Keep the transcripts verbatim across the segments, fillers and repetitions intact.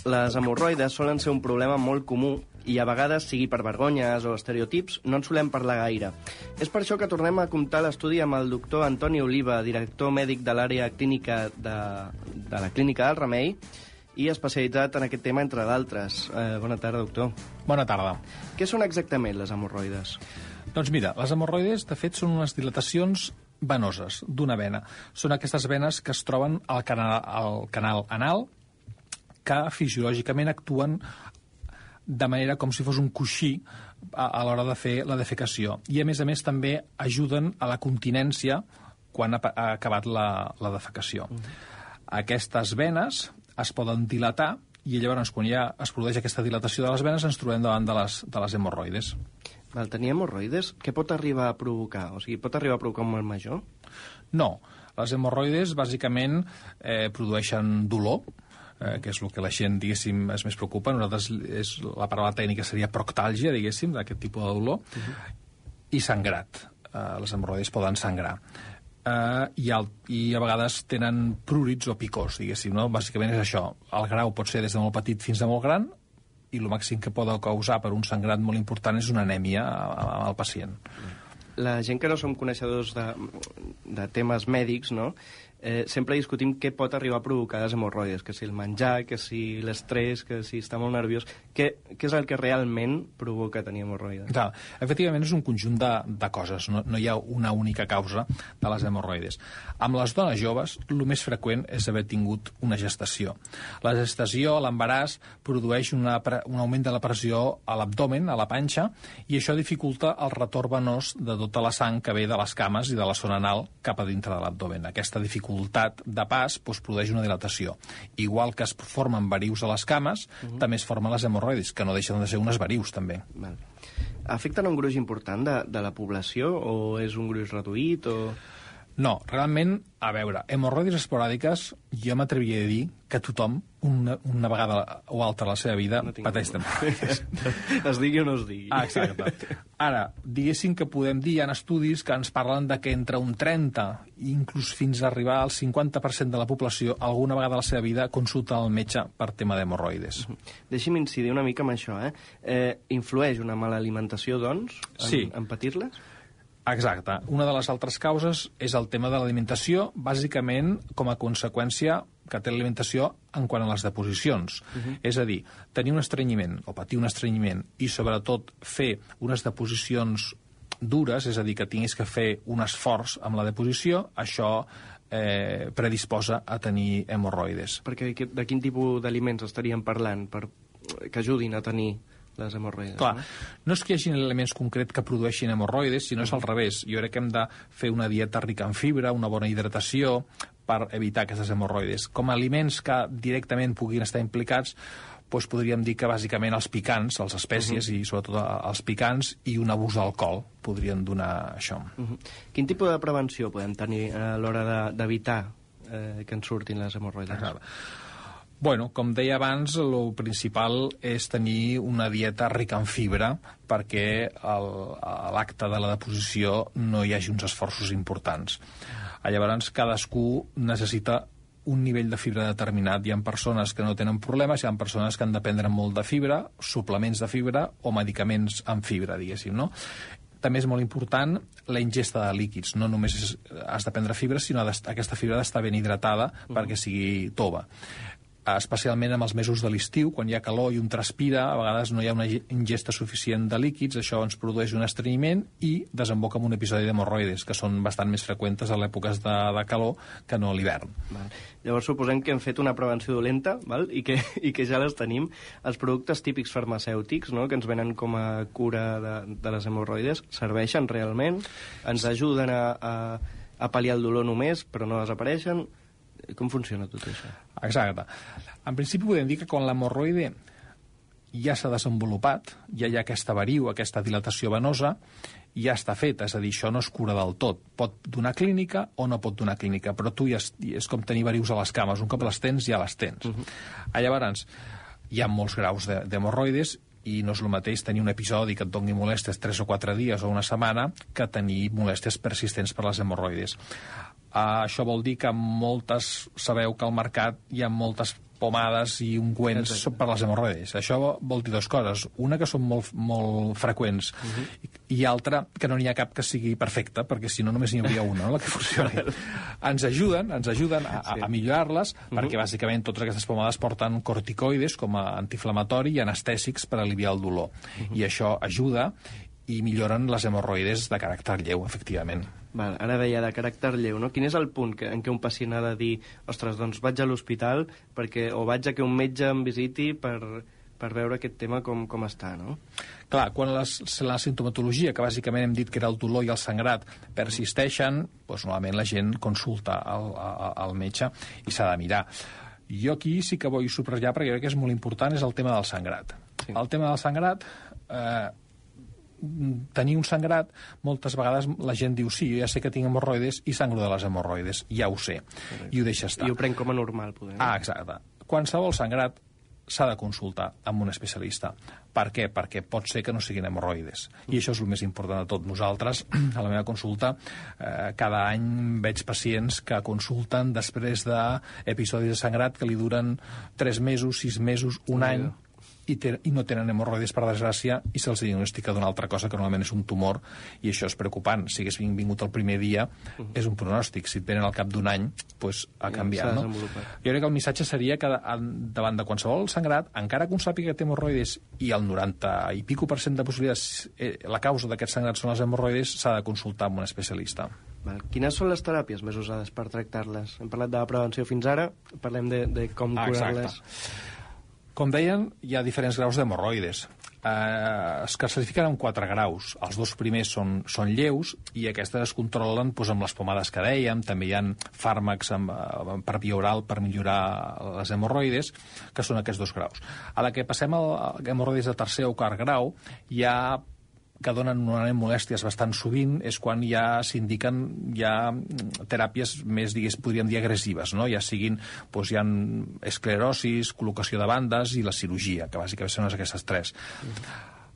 Les hemorroides solen ser un problema molt comú i a vegades, sigui per vergonyes o estereotips, no en solem parlar gaire. És per això que tornem a comptar l'estudi amb el doctor Antoni Oliva, director mèdic de l'àrea clínica de, de la Clínica del Remei i especialitzat en aquest tema, entre d'altres. Eh, bona tarda, doctor. Bona tarda. Què són exactament les hemorroides? Doncs mira, les hemorroides, de fet, són unes dilatacions venoses d'una vena. Són aquestes venes que es troben al canal, al canal anal, que fisiològicament actuen de manera com si fos un coixí a, a l'hora de fer la defecació. I, a més a més, també ajuden a la continència quan ha, ha acabat la, la defecació. Mm. Aquestes venes es poden dilatar i llavors, quan ja es produeix aquesta dilatació de les venes, ens trobem davant de les, de les hemorroides. Val, tenir hemorroides, què pot arribar a provocar? O sigui, pot arribar a provocar un mal major? No. Les hemorroides, bàsicament, eh, produeixen dolor, Eh, que és el que la gent, diguéssim, es més preocupa. Nosaltres, és, la paraula tècnica seria proctàlgia, diguéssim, d'aquest tipus de dolor, uh-huh. i sangrat. Eh, les hemorroides poden sangrar. Eh, i, al, I a vegades tenen prúrits o picors, diguéssim, no? Bàsicament és això. El grau pot ser des de molt petit fins a molt gran, i el màxim que pot causar per un sangrat molt important és una anèmia al pacient. La gent que no som coneixedors de, de temes mèdics, no? Eh, sempre discutim què pot arribar a provocar les hemorroides, que si el menjar, que si l'estrès, que si està molt nerviós. Què, què és el que realment provoca tenir hemorroides? Clar, efectivament és un conjunt de, de coses, no, no hi ha una única causa de les hemorroides. Amb les dones joves, el més freqüent és haver tingut una gestació. La gestació, l'embaràs, produeix una, un augment de la pressió a l'abdomen, a la panxa, i això dificulta el retorn venós de tota la sang que ve de les cames i de la zona anal cap a dintre de l'abdomen. Aquesta dificultat de pas doncs, produeix una dilatació. Igual que es formen varius a les cames, uh-huh. també es formen les hemorroides, que no deixen de ser unes varius, també. Val. Afecten un gruix important de, de la població o és un gruix reduït? O... No, realment, a veure, hemorroides esporàdiques, jo m'atreviria a dir que tothom, una, una vegada o altra a la seva vida, no pateix d'hemorroides. Es digui o no es digui. Ah, exacte. Ara, diguéssim que podem dir, hi ha estudis que ens parlen de que entre un trenta, inclús fins a arribar al cinquanta per cent de la població, alguna vegada a la seva vida consulta el metge per tema d'hemorroides. Deixi'm incidir una mica amb això, eh? eh influeix una mala alimentació, doncs, en, sí. en patir-les? Exacte. Una de les altres causes és el tema de l'alimentació, bàsicament com a conseqüència que té l'alimentació en quant a les deposicions. Uh-huh. És a dir, tenir un estrenyiment o patir un estrenyiment i sobretot fer unes deposicions dures, és a dir, que tinguis que fer un esforç amb la deposició, això eh, predisposa a tenir hemorroides. Perquè de quin tipus d'aliments estaríem parlant per que ajudin a tenir les hemorroides? Clar, no? no és que hi hagi elements concrets que produeixin hemorroides, sinó és al revés. Jo crec que hem de fer una dieta rica en fibra, una bona hidratació, per evitar aquestes hemorroides. Com a aliments que directament puguin estar implicats, doncs podríem dir que bàsicament els picants, les espècies, uh-huh. i sobretot els picants, i un abús d'alcohol podrien donar això. Uh-huh. Quin tipus de prevenció podem tenir a l'hora d'evitar eh, que ens surtin les hemorroides? Exacte. Bueno, com deia abans, el principal és tenir una dieta rica en fibra perquè el, a l'acte de la deposició no hi hagi uns esforços importants. Llavors, cadascú necessita un nivell de fibra determinat. Hi ha persones que no tenen problemes, hi ha persones que han de prendre molt de fibra, suplements de fibra o medicaments amb fibra, diguéssim, no? També és molt important la ingesta de líquids. No només és, has de prendre fibra, sinó aquesta fibra ha d'estar ben hidratada uh-huh. perquè sigui tova. Especialment en els mesos de l'estiu, quan hi ha calor i un transpira, a vegades no hi ha una ingesta suficient de líquids, això ens produeix un estrenyiment i desemboca en un episodi d'hemorroides, que són bastant més freqüentes a l'èpoques de, de calor que no a l'hivern. Llavors suposem que hem fet una prevenció dolenta, val? I, que, i que ja les tenim. Els productes típics farmacèutics, no?, que ens venen com a cura de, de les hemorroides, serveixen realment? Ens ajuden a, a, a pal·liar el dolor només, però no desapareixen? Com funciona tot això? Exacte. En principi podem dir que quan l'hemorroide ja s'ha desenvolupat, ja hi ha aquesta variu, aquesta dilatació venosa, ja està feta, és a dir, això no es cura del tot. Pot donar clínica o no pot donar clínica, però tu ja és, és com tenir varius a les cames, un cop les tens ja les tens. Uh-huh. Llavors, hi ha molts graus d'hemorroides i no és el mateix tenir un episodi que et doni molèsties tres o quatre dies o una setmana que tenir molèsties persistents per les hemorroides. Uh, això vol dir que moltes, sabeu que al mercat hi ha moltes pomades i ungüents Exacte. per les hemorroides. Això vol dir dues coses. Una, que són molt, molt freqüents, uh-huh. i, i altra, que no n'hi ha cap que sigui perfecta, perquè si no només n'hi hauria una, no?, la que funcioni. Ens ajuden, ens ajuden a, sí. a millorar-les, uh-huh. perquè bàsicament totes aquestes pomades porten corticoides com a antiinflamatori i anestèsics per aliviar el dolor. Uh-huh. I això ajuda i milloren les hemorroides de caràcter lleu, efectivament. Val, ara deia de caràcter lleu, no? Quin és el punt que, en què un pacient ha de dir ostres, doncs vaig a l'hospital perquè, o vaig a que un metge em visiti per, per veure aquest tema com, com està, no? Clar, quan les, la sintomatologia, que bàsicament hem dit que era el dolor i el sangrat, persisteixen, doncs normalment la gent consulta al, al, al metge i s'ha de mirar. Jo aquí sí que vull subratllar, perquè crec que és molt important, és el tema del sangrat. Sí. El tema del sangrat... Eh, tenir un sangrat, moltes vegades la gent diu, sí, jo ja sé que tinc hemorroides i sangro de les hemorroides, ja ho sé, correcte. I ho deixa estar. I ho prenc com a normal, poder. Ah, exacte. Qualsevol sangrat s'ha de consultar amb un especialista. Per què? Perquè pot ser que no siguin hemorroides. I això és el més important de tot. Nosaltres, a la meva consulta, eh, cada any veig pacients que consulten després d'episodis de sangrat que li duren tres mesos, sis mesos, un any, I, ten, i no tenen hemorroides, per desgràcia, i se'ls diagnostica d'una altra cosa que normalment és un tumor, i això és preocupant. Si hagués vingut el primer dia, uh-huh. és un pronòstic. Si et venen al cap d'un any, pues, ha canviat. No? Jo crec que el missatge seria que davant de qualsevol sangrat, encara que un sàpiga que té hemorroides i el noranta i pico per cent de possibilitats, eh, la causa d'aquest sangrat són les hemorroides, s'ha de consultar amb un especialista. Val. Quines són les teràpies més usades per tractar-les? Hem parlat de la prevenció fins ara, parlem de, de com ah, curar-les. Com deien, hi ha diferents graus d'hemorroides. Eh, es classifiquen en quatre graus. Els dos primers són, són lleus i aquestes es controlen doncs, amb les pomades que dèiem. També hi ha fàrmacs amb, per via oral per millorar les hemorroides, que són aquests dos graus. A la que passem a hemorroides de tercer o quart grau, hi ha que donen normalment molèsties bastant sovint, és quan ja s'indiquen ja teràpies més, digués, podríem dir, agressives, no? Ja siguin, doncs hi ha esclerosis, col·locació de bandes i la cirurgia, que bàsicament són aquestes tres.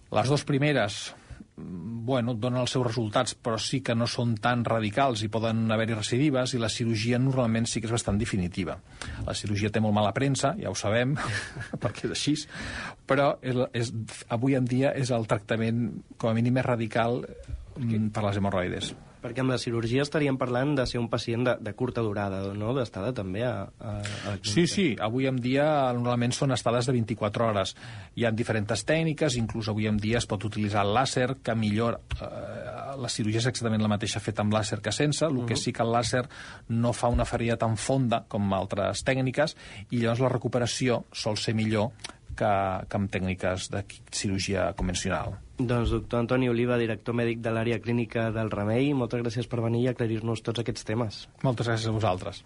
Les dues primeres, bueno, donen els seus resultats, però sí que no són tan radicals i poden haver-hi recidives, i la cirurgia normalment sí que és bastant definitiva. La cirurgia té molt mala premsa, ja ho sabem, perquè és així, però és, és, avui en dia és el tractament, com a mínim, més radical per les hemorroides. Perquè amb la cirurgia estaríem parlant de ser un pacient de, de curta durada, no? D'estada també a, a, a la clínica. Sí, sí. Avui en dia normalment són estades de vint-i-quatre hores. Hi ha diferents tècniques, inclús avui en dia es pot utilitzar el làser, que millor... Eh, la cirurgia és exactament la mateixa feta amb làser que sense, el uh-huh. que sí que el làser no fa una ferida tan fonda com altres tècniques, i llavors la recuperació sol ser millor que, que amb tècniques de cirurgia convencional. Doncs doctor Antoni Oliva, director mèdic de l'àrea clínica del Remei, moltes gràcies per venir i aclarir-nos tots aquests temes. Moltes gràcies a vosaltres.